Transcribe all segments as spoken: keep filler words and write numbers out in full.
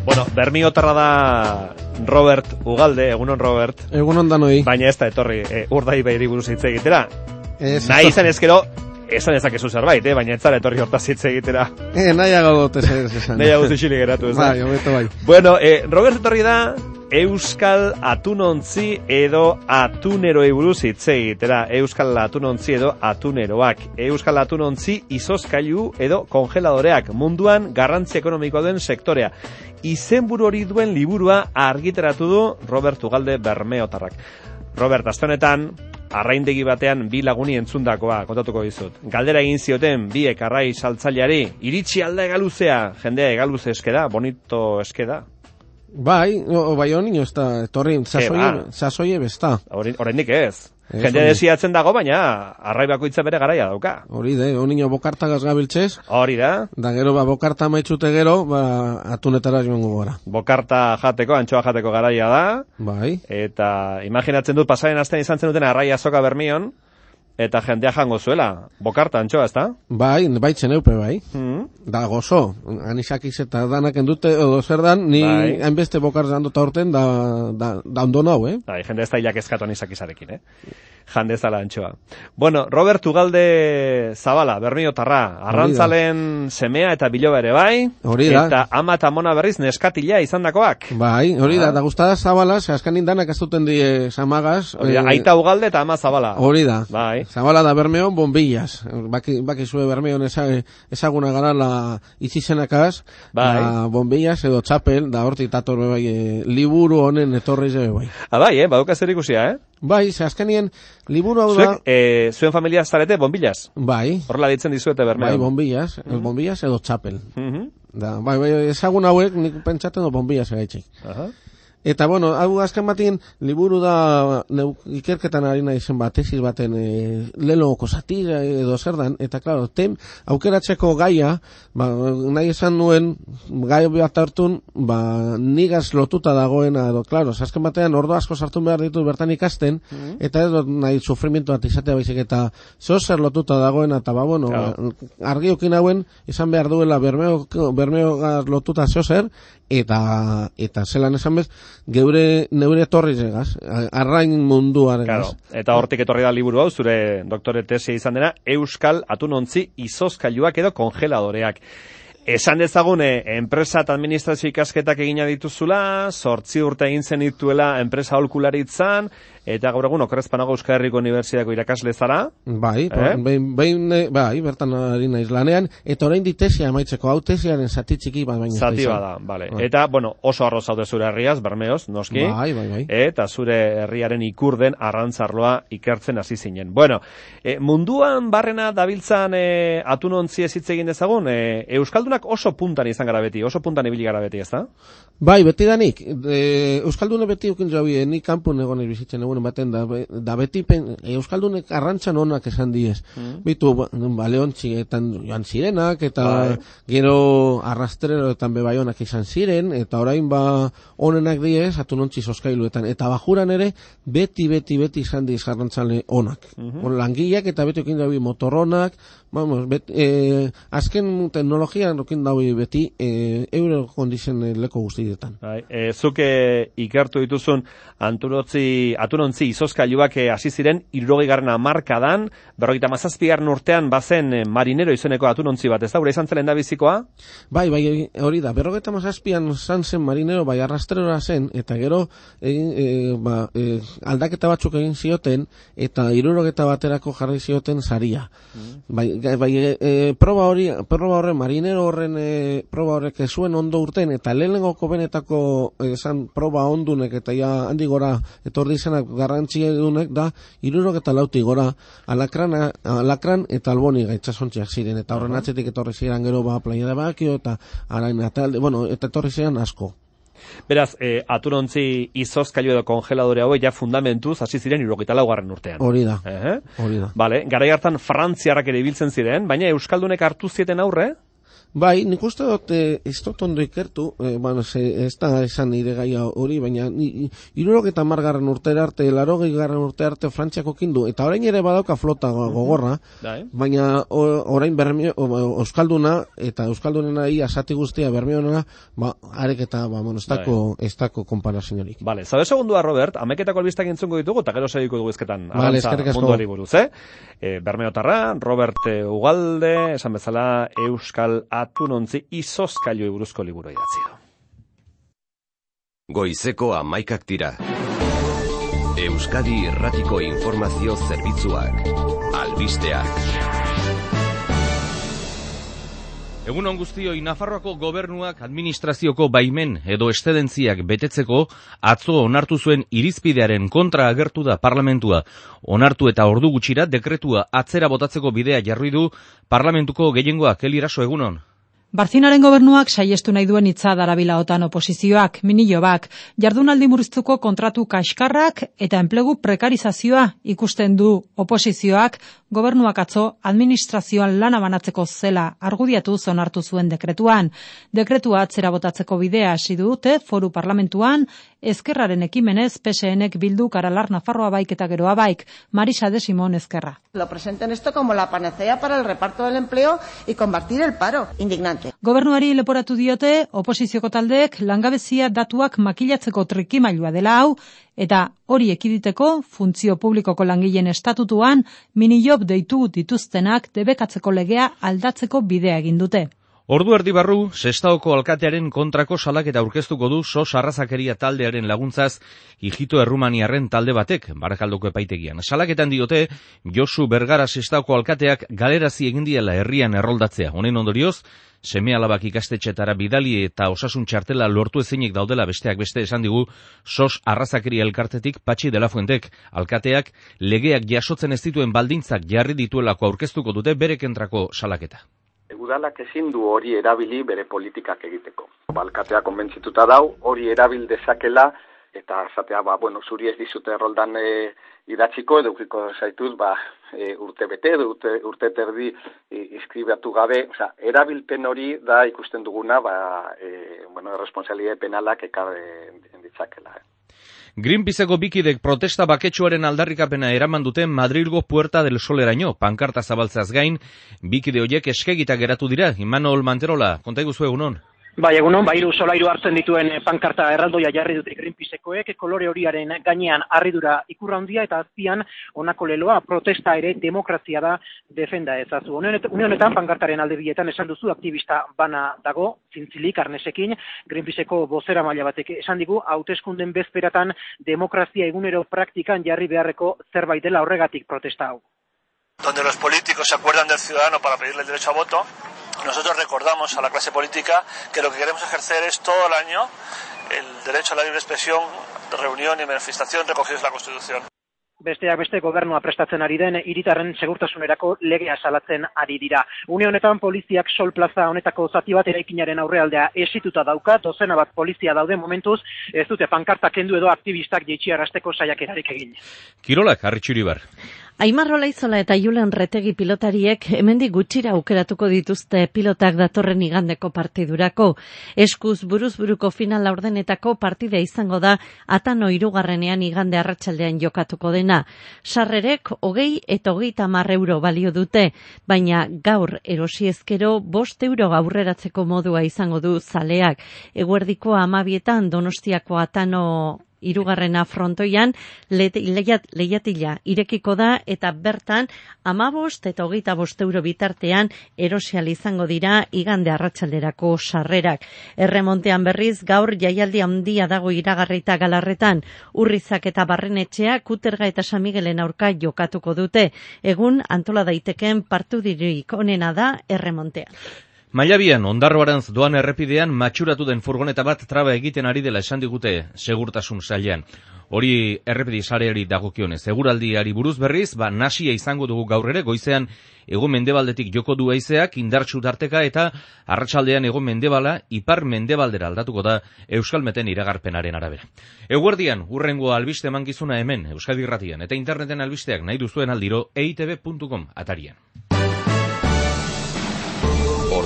Bueno, bermiotarra da Robert Ugalde, egunon Robert. Egunon danoi. Baina ez da etorri e, Urdaibairi buruz hitz egitera. Ez, nahi izan ezkero, esan ezakezu zerbait, eh? Baina ez zara etorri hortaz hitz egitera. Eh, nahi agote zer esan. Nahi agote xili geratu, ez da? Bai, hobeto bai. Bueno, eh, Robert etorri da Euskal Atunontzi edo Atuneroei buruz hitz egitera. Euskal Atunontzi edo Atuneroak. Euskal Atunontzi izozkailu edo kongeladoreak. Munduan garrantzi ekonomikoa duen sektorea. Izenburu hori duen liburua argitaratu du Robert Ugalde bermeotarrak. Robert, aste honetan, arraindegi batean bi laguni entzundakoa kontatuko dizut. Galdera egin zioten biek arrai saltzaileari, iritsi alda egaluzea, jendea egaluze eskeda, bonito eskeda. Bai, o, bai honi ez da, etorri, sasoie, sasoie besta. Oraindik ez. Jende desiatzen dago, baina arrai bakoitza bere garaia dauka. Hori de, honino bokartagaz gabiltzez. Hori da. Da gero, ba, bokarta maitzute gero, ba, atunetara joango gara. Bokarta jateko, antxoa jateko garaia da. Bai. Eta imaginatzen dut, pasaren astean izan zen duten arraia azoka Bermion, eta jendea jango zuela. Bokarta, antxoa, ez da? Bai, baitzen eupe, bai. Mm. Da gozo, anisakiz eta danak endute, edo zer dan, ni bai. hainbeste bokarta handuta horten, da, da, da ondo nau, eh? Bai, jende ez da hilak eskatu anisakizarekin, eh? Jande zala antxoa. Bueno, Robert Ugalde Zabala, bermiotarra, arrantzalen semea eta biloba ere bai, hori da. Eta ama eta mona berriz neskatila izandakoak. Bai, hori da, da gustada Zabala, ze askanin danak ez duten die samagaz. Hori da, eh, aita Ugalde eta ama Zabala. Hori da. Bai. Zabala da Bermeon bombillas. Baki, baki zue Bermeon ezaguna gara la itxizenakaz, bai. La bombillas edo txapel, da hortik tator bai, e, liburu honen etorri ze bai. Ah, bai, eh, baduka zer ikusia, eh? Bai, ze azkenien liburu hau Zuek, da... eh, zuen familia zarete bombillas? Bai. Horrela ditzen dizuete Bermeon. Bai, bombillas, mm -hmm. bombillas edo txapel. Mm -hmm. Da, bai, bai, ezagun hauek nik pentsaten do bombillas egaitxik. Aha. Eta, bueno, hau azken batien, liburu da neu, ikerketan ari nahi zen bat, tesis baten e, leloko zatira edo zer dan, eta, klaro, tem, aukeratzeko gaia, ba, nahi esan nuen, gai bat hartun, ba, nigaz lotuta dagoena, edo, klaro, azken batean, ordo asko sartu behar ditu bertan ikasten, mm-hmm. eta edo nahi sufrimiento bat izatea baizik, eta zozer lotuta dagoena, eta, ba, bueno, claro. Argiokin hauen, izan behar duela bermeo, bermeo lotuta zozer, eta, eta zelan esan bez, geure neure etorri zegaz, arrain munduaren. Claro, eta hortik etorri da liburu hau, zure doktore tesia izan dena, Euskal Atunontzi izozkailuak edo kongeladoreak. Esan dezagun, enpresa eta administrazio ikasketak egina dituzula, sortzi urte egin zen dituela enpresa aholkularitzan, eta gaur egun okerrezpanago Euskal Herriko Unibertsitateko irakasle zara. Bai, eh? behin, behin, bai, bertan ari naiz lanean, eta orain ditesia amaitzeko, hau tesiaren zati txiki bat baina. Zati bada, bale. Bai. Eta, bueno, oso arro zaude zure herriaz, Bermeoz, noski. Bai, bai, bai. Eta zure herriaren ikurden arrantzarloa ikertzen hasi zinen. Bueno, e, munduan barrena dabiltzan e, atunontzi ez hitz egin dezagun, e, Euskaldunak oso puntan izan gara beti, oso puntan ibili gara beti, ez da? Bai, beti danik. E, Euskaldune beti ukin jaue, ni kanpun egon bizitzen egun baten, da, da beti pen, Euskaldunek arrantzan onak esan diez. Mm. Bitu, baleontzietan joan zirenak, eta bai. Gero arrastreroetan bebai onak izan ziren, eta orain ba onenak diez, atunontzi zozkailuetan. Eta bajuran ere, beti, beti, beti izan diez arrantzale onak. Mm-hmm. Langileak eta beti ukin jaue motorronak, vamos, bet, e, azken teknologian ukin jaue beti, e, euro kondizen leko guztietan. Bai, e, zuke ikertu dituzun anturotzi, atunontzi izozkailuak hasi ziren hirurogeigarren hamarkadan, berrogeita hamazazpigarren urtean bazen marinero izeneko atunontzi bat, ez da, gure izan zelen da bizikoa? Bai, bai, hori da, berrogeita hamazazpian zan zen marinero, bai, arrastrera zen, eta gero e, e, ba, e, aldaketa batzuk egin zioten, eta hirurogeta baterako jarri zioten saria. Mm. Bai, bai e, e, proba hori, proba horren, marinero horren e, proba horrek zuen ondo urten, eta lehenengoko benetako esan proba ondunek, eta ja handi gora etorri izanak garrantzia edunek da, hirurogeta lauti gora, alakran, alakran eta alboni gaitzasontziak ziren, eta horren atzetik etorri ziren gero ba playa de Bakio, eta arain, eta, bueno, eta etorri ziren asko. Beraz, e, atunontzi izozkailu edo kongeladore hauek ja fundamentuz hasi ziren hirurogeita laugarren urtean. Hori da. Eh? Hori da. Vale, garai hartan frantziarrak ere ibiltzen ziren, baina euskaldunek hartu zieten aurre? Bai, nik uste dut, eh, ez dut ondo ikertu, eh, bueno, ze, ez da esan nire gaia hori, baina hirurogei eta hamar garren urtera arte, laurogei garren urte arte Frantziako kindu, eta orain ere badauka flota gogorra, mm-hmm. baina orain bermio, euskalduna, eta euskaldunena ia asati guztia bermionena, ba, arek eta, ba, bueno, ez dako, ez dako komparaziorik. Vale, zabe segundua, Robert, ameketako albistak entzungo ditugu, eta gero segiko dugu ezketan, vale, arantza munduari buruz, eh? E, Bermeotarra, Robert Ugalde, esan bezala, Euskal Atunontzi izozkailoi buruzko liburu idatzi du. Goizeko hamaikak dira. Euskadi Irratiko Informazio Zerbitzuak. Albisteak. Egunon guztioi, Nafarroako gobernuak administrazioko baimen edo estedentziak betetzeko atzo onartu zuen irizpidearen kontra agertu da parlamentua. Onartu eta ordu gutxira dekretua atzera botatzeko bidea jarri du parlamentuko gehiengoak. Eliraso, egunon. Barzinaren gobernuak saiestu nahi duen hitza darabila otan oposizioak, minilobak, jardunaldi murriztuko kontratu kaskarrak eta enplegu prekarizazioa ikusten du oposizioak, gobernuak atzo administrazioan lana banatzeko zela argudiatu onartu zuen dekretuan. Dekretua atzera botatzeko bidea hasi dute foru parlamentuan, ezkerraren ekimenez P S Nek bildu Aralar Nafarroa baik eta geroa baik, Marisa de Simón Ezkerra. Lo presenten esto como la panacea para el reparto del empleo y combatir el paro. Indignante. Gobernuari leporatu diote, oposizioko taldeek langabezia datuak makilatzeko trikimailua dela hau, eta hori ekiditeko funtzio publikoko langileen estatutuan minijob deitu dituztenak debekatzeko legea aldatzeko bidea egin dute. Ordu erdi barru, Sestaoko alkatearen kontrako salaketa aurkeztuko du sos arrazakeria taldearen laguntzaz Ijito Errumaniarren talde batek, Barakaldoko epaitegian. Salaketan diote, Josu Bergara Sestaoko alkateak galerazi egin diela herrian erroldatzea. Honen ondorioz, seme-alabak ikastetxetara bidali eta osasun txartela lortu ezinik daudela besteak beste esan digu sos arrazakeria elkartetik Patxi de la Fuentek. Alkateak legeak jasotzen ez dituen baldintzak jarri dituelako aurkeztuko dute bere kentrako salaketa. Udalak ezin du hori erabili bere politikak egiteko. Alkatea konbentzituta dau, hori erabil dezakela, eta zatea, ba, bueno, zuri ez dizute erroldan e, idatziko, edo ukiko zaituz, ba, e, urte bete, edo urte, urte terdi e, inskribatu gabe, oza, erabilpen hori da ikusten duguna, ba, e, bueno, erresponsabilitate penalak ekar ditzakela. Eh. Greenpeaceko bikidek protesta baketsuaren aldarrikapena eraman duten Madrilgo Puerta del Soleraino, pankarta zabaltzeaz gain, bikide horiek eskegita geratu dira. Imanol Manterola, konta iguzu egunon. Bai, egunon, bairu solairu hartzen dituen pankarta erraldoia jarri dute Greenpeacekoek, kolore horiaren gainean harridura ikurra handia eta azpian honako leloa protesta ere demokrazia da defenda ezazu. Une honetan pankartaren alde bietan esan duzu aktivista bana dago, zintzilik arnesekin, Greenpeaceko bozera maila batek esan digu, hauteskunden bezperatan demokrazia egunero praktikan jarri beharreko zerbait dela horregatik protesta hau. Donde los políticos se acuerdan del ciudadano para pedirle el derecho a voto, nosotros recordamos a la clase política que lo que queremos ejercer es todo el año el derecho a la libre expresión, reunión y manifestación recogidos en la Constitución. Besteak beste gobernua prestatzen ari den hiritarren segurtasunerako legea salatzen ari dira. Une honetan poliziak Sol Plaza honetako zati bat eraikinaren aurrealdea esituta dauka, dozena bat polizia daude momentuz, ez dute pankarta kendu edo aktivistak jeitxiarazteko saiakerarik egin. Kirolak, Arritxuribar. Aimar Olaizola eta Julen Retegi pilotariek hemendik gutxira aukeratuko dituzte pilotak datorren igandeko partidurako. Eskuz buruz-buruko final laurdenetako partida izango da Atano hirugarrenean igande arratsaldean jokatuko dena. Sarrerek hogei eta hogeita hamar euro balio dute, baina gaur erosi ezkero bost euro aurreratzeko modua izango du zaleak. Eguerdiko hamabietan Donostiako Atano hirugarrena frontoian lehiatila irekiko da eta bertan hamabost eta hogeita bost euro bitartean erosial izango dira igande arratsalderako sarrerak. Erremontean berriz gaur jaialdi handia dago iragarrita Galarretan, Urrizak eta Barrenetxea Kuterga eta San Migelen aurka jokatuko dute. Egun antola daiteken partidurik onena da erremontean. Mailabian, Ondarroarantz doan errepidean matxuratu den furgoneta bat traba egiten ari dela esan digute segurtasun sailean. Hori errepide sareari dagokionez. Eguraldiari buruz berriz, ba nasia izango dugu gaur ere, goizean hego mendebaldetik joko du haizeak indartsu tarteka eta arratsaldean hego mendebala ipar mendebaldera aldatuko da Euskalmeten iragarpenaren arabera. Eguerdian, hurrengo albiste emankizuna hemen Euskadi Irratian eta interneten albisteak nahi duzuen aldiro e i te be puntu com atarian.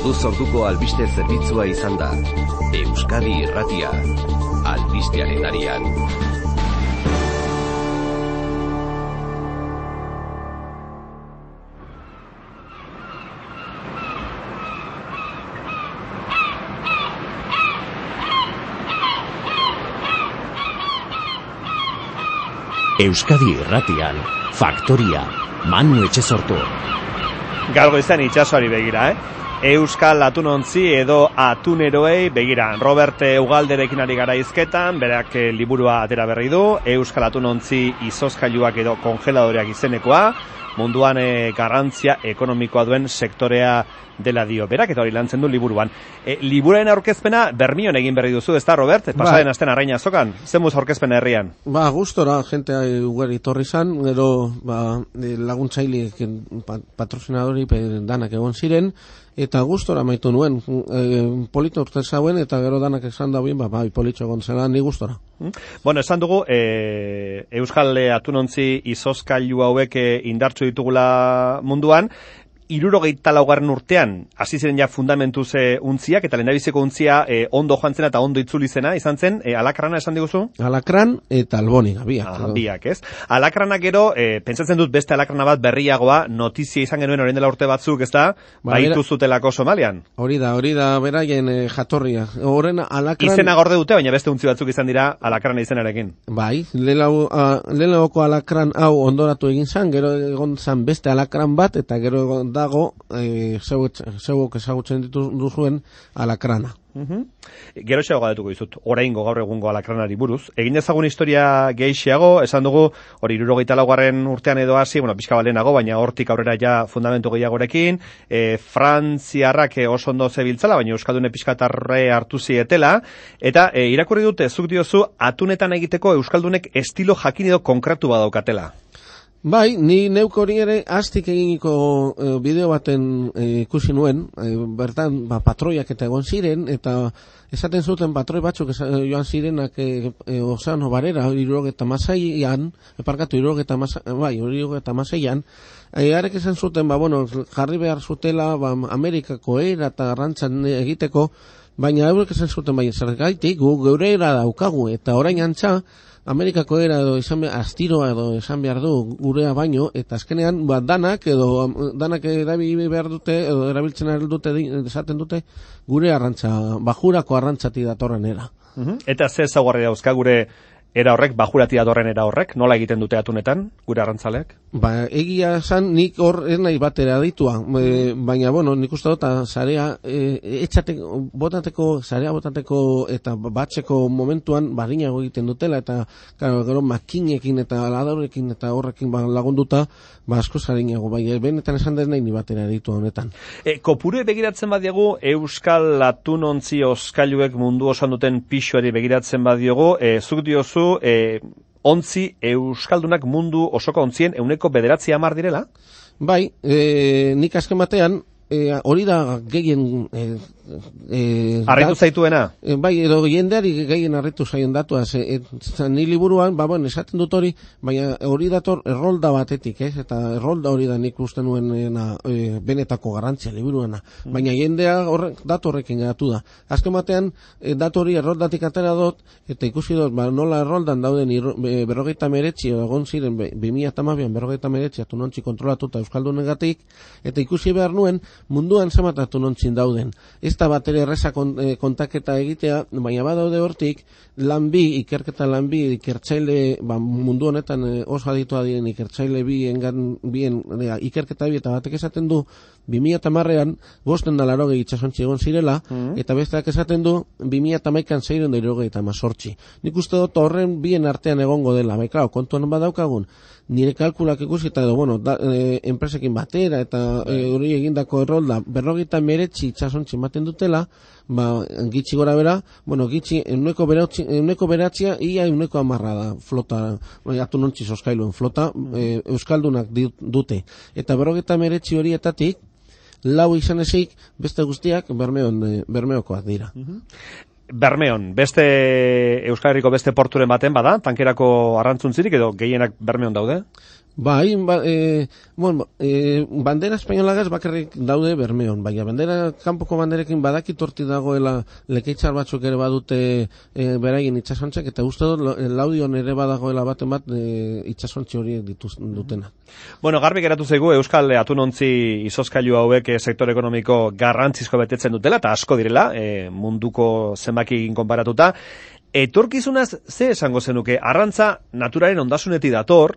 Orduz orduko albiste zerbitzua izan da. Euskadi Irratia, albistearen arian. Euskadi Irratian, Faktoria, Manu Etxesortu. Gaur goizean itsasoari begira, eh? Euskal atunontzi edo atuneroei begira. Robert Ugalderekin ari gara hizketan, berak liburua atera berri du, Euskal atunontzi izozkailuak edo kongeladoreak izenekoa, munduan e, garrantzia ekonomikoa duen sektorea dela dio. Berak eta hori lantzen du liburuan. E, liburaren aurkezpena Bermion egin berri duzu, ez da, Robert? Pasaren ba. Asten Arraina azokan, zemuz aurkezpena herrian? Ba, gustora, jentea ugari torri zan, gero ba, laguntzaile patrocinadori danak egon ziren, eta gustora maitu nuen, e, polito urte zauen, eta gero danak esan da bien, ba, ba, politxo egon zela, ni gustora. Bueno, esan dugu, e, Euskal atunontzi izozkailu hauek indartsu ditugula munduan, hirurogeita laugarren urtean, hasi ziren ja fundamentuz e, untziak, eta lehendabiziko untzia e, ondo joan zena eta ondo itzuli zena, izan zen, e, alakrana esan diguzu? Alakran eta alboniga, biak. Ah, biak, ez? Alakranak gero, e, pentsatzen dut beste alakrana bat berriagoa, notizia izan genuen orain dela urte batzuk, ez da, ba, baitu zutelako Somalian. Hori da, hori da, beraien e, jatorria. Horren alakran... Izena gorde dute, baina beste untzi batzuk izan dira alakrana izenarekin. Bai, lehenagoko alakran hau ondoratu egin zan, gero egon zan beste alakran bat, eta gero egon dago e, zeuok ezagutzen dituzuen alakrana. Uh-huh. Gero xeago gadetuko dizut, oraingo gaur egungo alakranari buruz. Egin ezagun historia gehiago, esan dugu, hori hirurogeita laugarren urtean edo hasi, bueno, pixka balenago, baina hortik aurrera ja fundamentu gehiagorekin, e, frantziarrak e, oso ondo zebiltzala, baina euskaldune pixkatarre hartu zietela, eta e, irakurri dute, zuk diozu, atunetan egiteko euskaldunek estilo jakin edo konkretu badaukatela. Bai, ni neuk hori ere aztik eginiko e, bideo baten e, ikusi nuen, e, bertan ba, patroiak eta egon ziren, eta esaten zuten patroi batzuk esa, joan zirenak e, e, ozeano barera, irurogeta masaian, eparkatu irurogeta masaian, bai, irurogeta masaian, e, arek esan zuten, ba, bueno, jarri behar zutela, ba, Amerikako era eta arrantzan egiteko, baina eurek esan zuten, bai, zergaitik, gu geure era daukagu, eta orain antza, Amerikako era edo izan behar, astiroa edo esan behar du gurea baino, eta azkenean ba, danak edo danak erabili behar dute edo erabiltzen ari dute esaten dute gure arrantza, bajurako arrantzati datorren era. Uh-huh. Eta ze ezaugarri dauzka gure era horrek, bajurati datorren era horrek, nola egiten dute atunetan, gure arrantzaleak? Ba, egia esan nik hor ez nahi batera ditua, e, baina, bueno, nik uste dut, zarea, e, etxateko, botateko, zarea botateko eta batzeko momentuan barinago egiten dutela, eta claro, gero makinekin eta ladarekin eta horrekin ba, lagunduta, ba, asko zarinago, bai, benetan esan dez nahi ni batera ditua honetan. E, kopuru begiratzen badiagu, Euskal atunontzi oskailuek mundu osan duten pixuari begiratzen badiogu, e, zuk diozu, E, ontzi euskaldunak mundu osoko ontzien euneko bederatzi hamar direla? Bai, e, nik azken batean e, hori da gehien e, e, arritu zaituena? E, bai, edo jendeari gehien arritu zaien datuaz e, e, ni liburuan, ba, bueno, esaten dut hori, baina hori dator errolda batetik, ez? Eta errolda hori da nik uste nuen e, benetako garrantzia liburuana, mm. baina jendea horrek, datu horrekin gatu da. Azken batean, e, datu hori erroldatik atera dut, eta ikusi dut, ba, nola erroldan dauden irro, e, berrogeita meretzi, egon ziren, bi mila hamabian berrogeita meretzi atunontzi kontrolatuta euskaldunegatik, eta ikusi behar nuen, munduan zenbat atunontzin dauden. Ez da bat ere erreza kontaketa egitea, baina badaude hortik, lan bi, ikerketa lan bi, ikertzaile, ba, mundu honetan oso aditua diren ikertzaile bi, engan, bien, ikerketa bi, eta batek esaten du, bi mila hamarrean, bosten da larogei itxasontzi egon zirela, mm. eta besteak esaten du, bi mila hamaikan zeiren da irogei eta mazortzi. Nik uste dut horren bien artean egongo dela, bai, klaro, kontuan badaukagun, nire kalkulak ikusi eta edo, bueno, da, e, enpresekin batera eta hori e, egindako errolda berrogeita meretzi itxasontzi ematen dutela, ba, gitxi gora bera, bueno, gitxi euneko beratzia, ia euneko amarra da flota, atunontzi zoskailuen flota, e, euskaldunak dute. Eta berrogeita meretzi horietatik, lau izan ezik, beste guztiak bermeon, bermeokoak dira. Uh-huh. Bermeon, beste Euskal Herriko beste porturen baten bada, tankerako arrantzuntzirik edo gehienak Bermeon daude? Bai, ba, e, bueno, e, bandera espainolagaz bakarrik daude Bermeon, baina bandera, kanpoko banderekin badakit horti dagoela lekeitzar batzuk ere badute e, beraien itxasontzek, eta uste dut Laudion ere badagoela baten bat e, itxasontzi horiek dituz dutena. Bueno, garbi geratu zaigu Euskal Atunontzi izozkailu hauek e, sektore ekonomiko garrantzizko betetzen dutela, eta asko direla, e, munduko zenbakikin konparatuta. Etorkizunaz, ze esango zenuke, arrantza naturaren ondasunetik dator,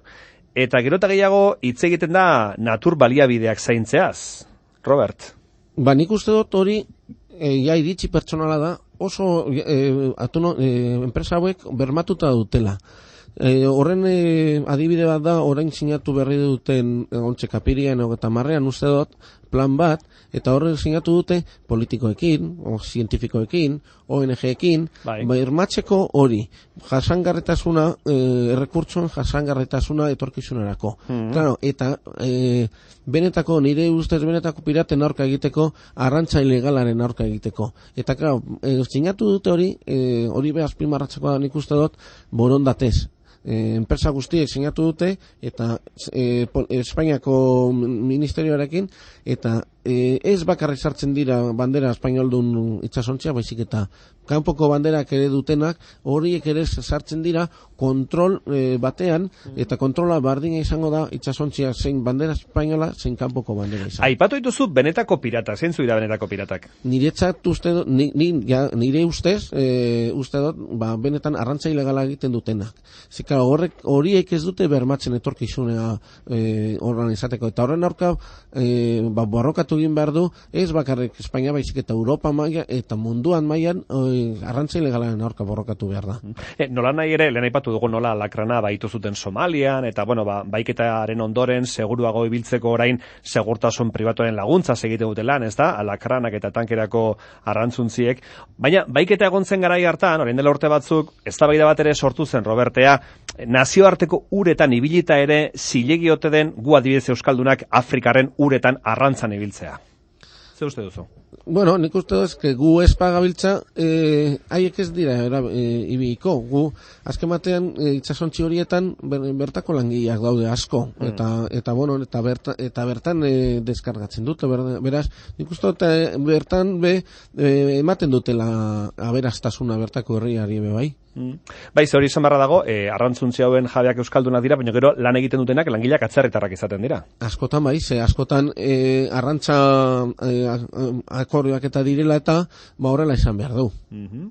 eta gero eta gehiago hitz egiten da natur baliabideak zaintzeaz. Robert? Ba, nik uste dut hori e, ja iritsi pertsonala da, oso e, atuno, e, enpresa hauek bermatuta dutela. E, horren e, adibide bat da, orain sinatu berri duten ontxe kapirian eta marrean uste dut, plan bat, eta horren sinatu dute politikoekin, o zientifikoekin, O N G-ekin, bai. Bermatzeko hori, jasangarretasuna, e, errekurtsoen jasangarretasuna etorkizunerako. Mm-hmm. Claro, eta e, benetako, nire ustez benetako piraten aurka egiteko, arrantza ilegalaren aurka egiteko. Eta, claro, e, sinatu dute hori, e, hori behaz primarratzeko da nik uste dut, borondatez. E, enpresa guztiek sinatu dute eta e, Espainiako ministerioarekin eta e, ez bakarrik sartzen dira bandera espainoldun itsasontzia, baizik eta kanpoko banderak ere dutenak horiek ere sartzen dira kontrol e, batean eta kontrola bardina izango da itsasontzia zein bandera espainola zein kanpoko bandera izan. Aipatu dituzu benetako piratak, zeintzu dira benetako piratak? Niretzat uste dut, ni, ni, ja, nire ustez e, uste dut, ba, benetan arrantza ilegala egiten dutenak. Zika horrek horiek ez dute bermatzen etorkizunea e, horren izateko eta horren aurka e, ba, borrokatu egin behar du ez bakarrik Espainia baizik eta Europa maila eta munduan mailan e, arrantza ilegalaren aurka borrokatu behar da. E, nola nahi ere, lehen aipatu dugu nola lakrana baitu zuten Somalian eta bueno, ba, baiketaren ondoren seguruago ibiltzeko orain segurtasun pribatuaren laguntza egiten dute lan, ez da, lakranak eta tankerako arrantzuntziek, baina baiketa egon zen garai hartan, orain dela urte batzuk, eztabaida bat ere sortu zen Robertea, nazioarteko uretan ibilita ere zilegi ote den gu adibidez euskaldunak Afrikaren uretan arrantzan ibiltzea. Ze uste duzu? Bueno, nik uste duz, que gu ez pagabiltza, eh, haiek ez dira era, eh, ibiiko. Gu, azken batean, eh, itxasontzi horietan ber, bertako langileak daude asko. Mm. Eta, eta, bueno, eta, berta, eta bertan eh, deskargatzen dute. Ber, beraz, nik uste dut, eh, bertan be, eh, ematen dutela aberastasuna bertako herriari be bai. Mm. Bai, ze hori izan barra dago, eh, arrantzuntzi hauen jabeak euskaldunak dira, baina gero lan egiten dutenak langileak atzerritarrak izaten dira. Askotan bai, ze askotan eh, arrantza eh, akordioak eta direla eta ba horrela izan behar du. Mm-hmm.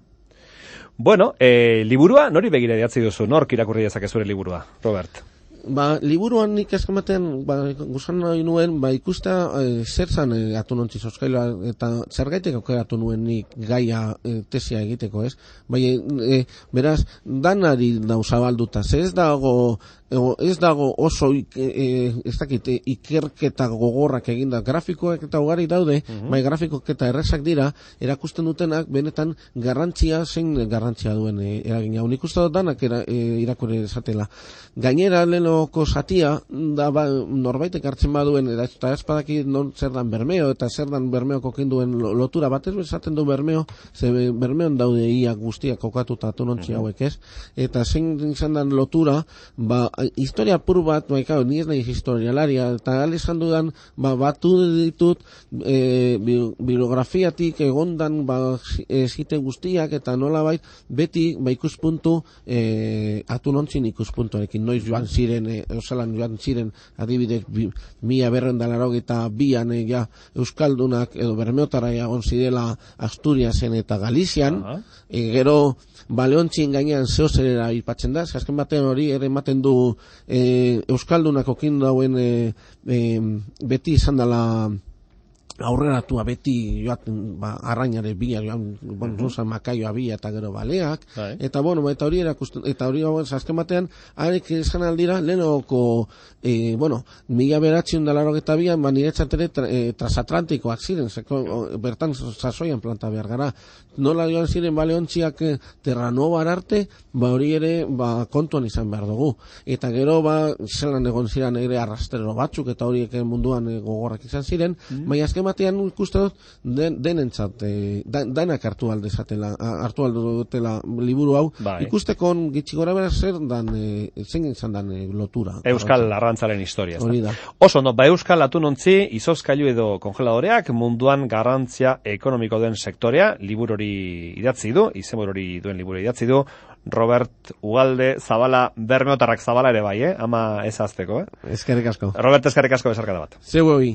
Bueno, eh, liburua nori begira idatzi duzu, nork irakurri dezake zure liburua, Robert? Ba, liburuan nik eskematen, ba, guzan nahi nuen, ba, ikusta e, zer zan e, atunontzi zozkaila eta zer gaitek aukeratu nuen nik gaia e, tesia egiteko, ez? Bai, e, beraz, danari dauzabalduta, ze ez dago, e, ez dago oso, e, ez dakit, ikerketa gogorrak eginda, grafikoak eta ugari daude, mm-hmm. bai, grafikoak eta errezak dira, erakusten dutenak, benetan, garrantzia, zein garrantzia duen e, eragina. Nik uste dut danak era, e, irakurri esatela. Gainera, lehenoko zatia, da, ba, norbaitek hartzen baduen, eta ez badaki non zer dan Bermeo, eta zer dan Bermeoko kenduen lotura, batez bezaten du Bermeo, ze Bermeon daude ia guztiak kokatuta atunontzi hauek ez, eta zein izan dan lotura, ba, historia pur bat, ba, ni ez nahi historialaria, eta alezan dudan, ba, batu ditut, e, bi, biografiatik egondan, ba, zite guztiak, eta nola bait, beti, ba, ikuspuntu, e, atunontzin ikuspuntuarekin, noiz joan ziren, e, osalan joan ziren, adibidez, bi, mila berrendalaro eta bian, e, ja, euskaldunak, edo bermeotara egon zidela Asturiasen eta Galizian, uh-huh. e, gero, Baleontzin gainean zeozerera ipatzen da, azken batean hori ere ematen du e, euskaldunak okin dauen e, e, beti izan dela aurreratua beti joaten ba, arrainare bila joan, bon, uh-huh. makaioa bila eta gero baleak, Hai. eta bueno, eta hori erakusten, eta hori azken batean arek esan aldira, lehenoko e, bueno, mila beratzion dalaro eta bian, ba, niretzat ere tra, e, transatlantikoak ziren, zeko, o, bertan sasoian planta behar gara, nola joan ziren baleontziak e, Terranova arte, ba hori ere ba, kontuan izan behar dugu, eta gero ba, zelan egon ziren ere arrastrero batzuk, eta horiek munduan e, gogorrak izan ziren, mm. baina azken batean ikuste dut den, denentzat e, dan, danak hartu aldezatela, hartu aldutela liburu hau, bai. Ikusteko gitxi gora bera zer dan, e, zein izan dan e, lotura. Euskal arrantzaren historia. Hori da. Oso, no, ba Euskal atunontzi, izozkailu edo kongeladoreak munduan garrantzia ekonomiko den sektorea, liburu hori idatzi du, izenburu hori duen liburu idatzi du, Robert Ugalde Zabala, Bermeotarrak Zabala ere bai, eh? Ama ez azteko, eh? Eskerrik asko. Robert, eskerrik asko bezarkada bat. Zeu hori.